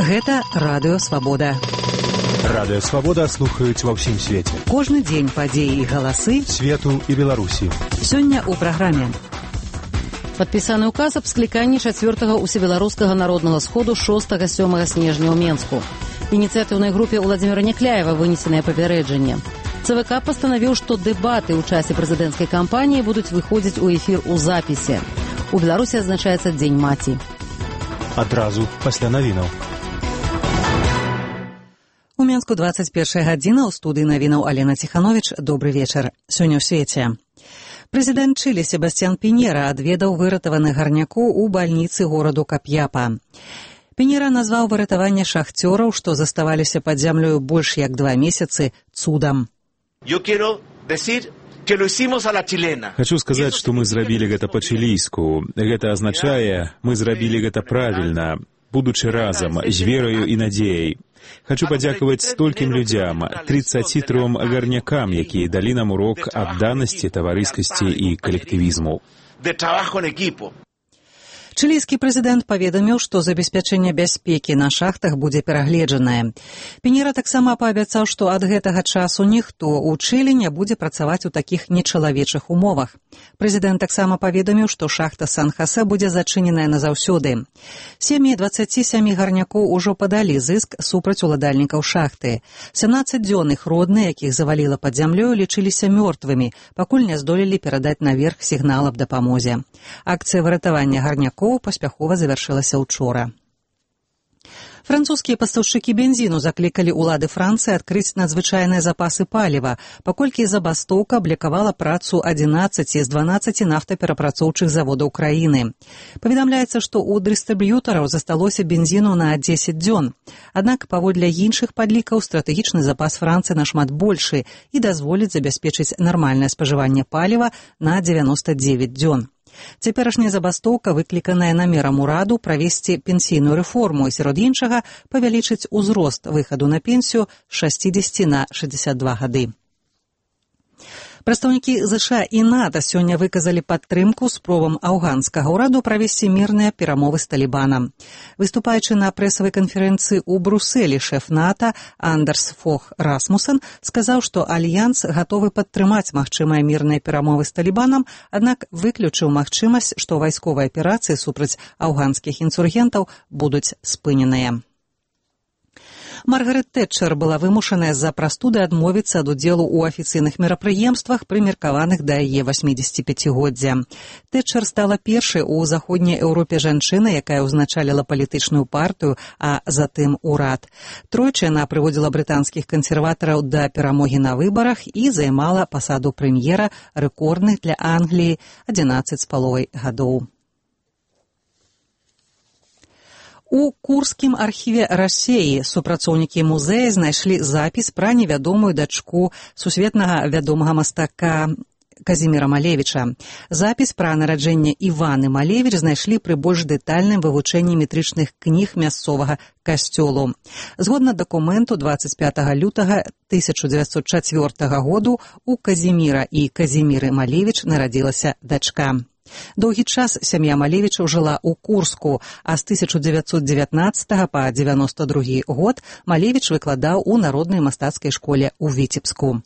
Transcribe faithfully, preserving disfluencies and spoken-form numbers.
Гэта Радыё Свабода. Радыё Свабода слухаюць ва ўсім свеце. Кожны дзень падзеі і галасы свету і Беларусі. Сёння ў праграме. Падпісаны ўказ аб скліканні чацвёртага усебеларускага народнага сходу шостага-сёмага снежня ў Менску. Ініцыятыўнай групе Уладзіміра Някляева вынесенае папярэджанне. ЦВК пастанавіў, што дэбаты ў часе прэзідэнцкай кампаніі будуць выходзіць у эфір у запісе. У Беларусі адзначаецца Дзень маці. Адразу пасля навінаў. У Менску дваццаць першая гадзіна, ў студыі навінаў Алена Ціхановіч. Добры вечар. Сёння ў свеце. Прэзідэнт Чылі Себасцьян Піньера адведаў выратаваных гарнякоў у бальніцы гораду Капьяпа. Піньера назваў выратаванне шахцёраў, што заставаліся пад зямлёю больш як два месяцы, цудам. Хачу сказаць, што мы зрабілі гэта па-чылійску. Гэта азначае, мы зрабілі гэта правільна, будучы разам, з вераю і надзеяй. Хачу падзякаваць столькім людзям, трыццаці тром гарнякам, якія далі нам урок адданасці, таварыскасці і калектывізму. Чылійскі прэзідэнт паведаміў, што забеспячэнне бяспекі на шахтах будзе перагледжанае. Піньера таксама паабяцаў, што ад гэтага часу ніхто ў Чылі не будзе працаваць у такіх нечалавечых умовах. Прэзідэнт таксама паведаміў, што шахта Сан-Хасе будзе зачыненая назаўсёды. Сем'і дваццаці сямі гарнякоў ужо падалі зыск супраць уладальнікаў шахты. сямнаццаць дзён іх родныя, якіх заваліла пад зямлёю, лічыліся мёртвымі, пакуль не здолелі перадаць наверх сігнал аб дапамозе. Акцыя выратавання гарнякоў паспяхова завяршылася ўчора. Французскія пастаўшчыкі бензіну заклікалі ўлады Францыі адкрыць надзвычайныя запасы паліва, паколькі забастоўка блакавала працу адзінаццаці з дванаццаці нафтаперапрацоўчых заводаў краіны. Паведамляецца, што ў дыстрыб'ютараў засталося бензіну на дзесяць дзён. Аднак, паводле іншых падлікаў, стратэгічны запас Францыі нашмат большы і дазволіць забяспечыць нармальнае спажыванне паліва на дзевяноста дзевяць дзён. Цяперашняя забастоўка выкліканая намерам ураду правесці пенсійную рэформу і, сярод іншага, павялічыць узрост выхаду на пенсію з шэсцідзесяці на шэсцьдзесят два гады. Прадстаўнікі ЗША і НАТО сёння выказалі падтрымку спробам афганскага ўраду правесці мірныя перамовы з Талібанам. Выступаючы на прэсавай канферэнцыі ў Брусэлі, шэф НАТО Андерс Фог Расмусен сказаў, што альянс гатовы падтрымаць магчымыя мірныя перамовы з Талібанам, аднак выключыў магчымасць, што вайсковыя аперацыі супраць афганскіх інсургентаў будуць спыненыя. Маргарет Тэтчер была вымушаная з-за прастуды адмовіцца ад удзелу ў афіцыйных мерапрыемствах, прымеркаваных да яе васьмідзесяціпяцігоддзя. Тэтчер стала першай у заходняй Еўропе жанчынай, якая ўзначаліла палітычную партыю, а затым урад. Тройчы яна прыводзіла брытанскіх кансерватараў да перамогі на выбарах і займала пасаду прэм'ера рэкордных для Англіі адзінаццаць з паловай гадоў. У Курскім архіве Расеі супрацоўнікі музея знайшлі запіс пра невядомую дачку сусветнага вядомага мастака Казіміра Малевіча. Запіс пра нараджэнне Іваны Малевіч знайшлі пры больш дэтальным вывучэнні метрычных кніг мясцовага касцёлу. Згодна дакументу, дваццаць пятага лютага тысяча дзевяцьсот чацвёртага году у Казіміра і Казіміры Малевіч нарадзілася дачка. Доўгі час сям'я Малевічаў жыла ў Курску, а з тысяча дзевяцьсот дзевятнаццатага па дзевяноста другі год Малевіч выкладаў у народнай мастацкай школе ў Віцебску.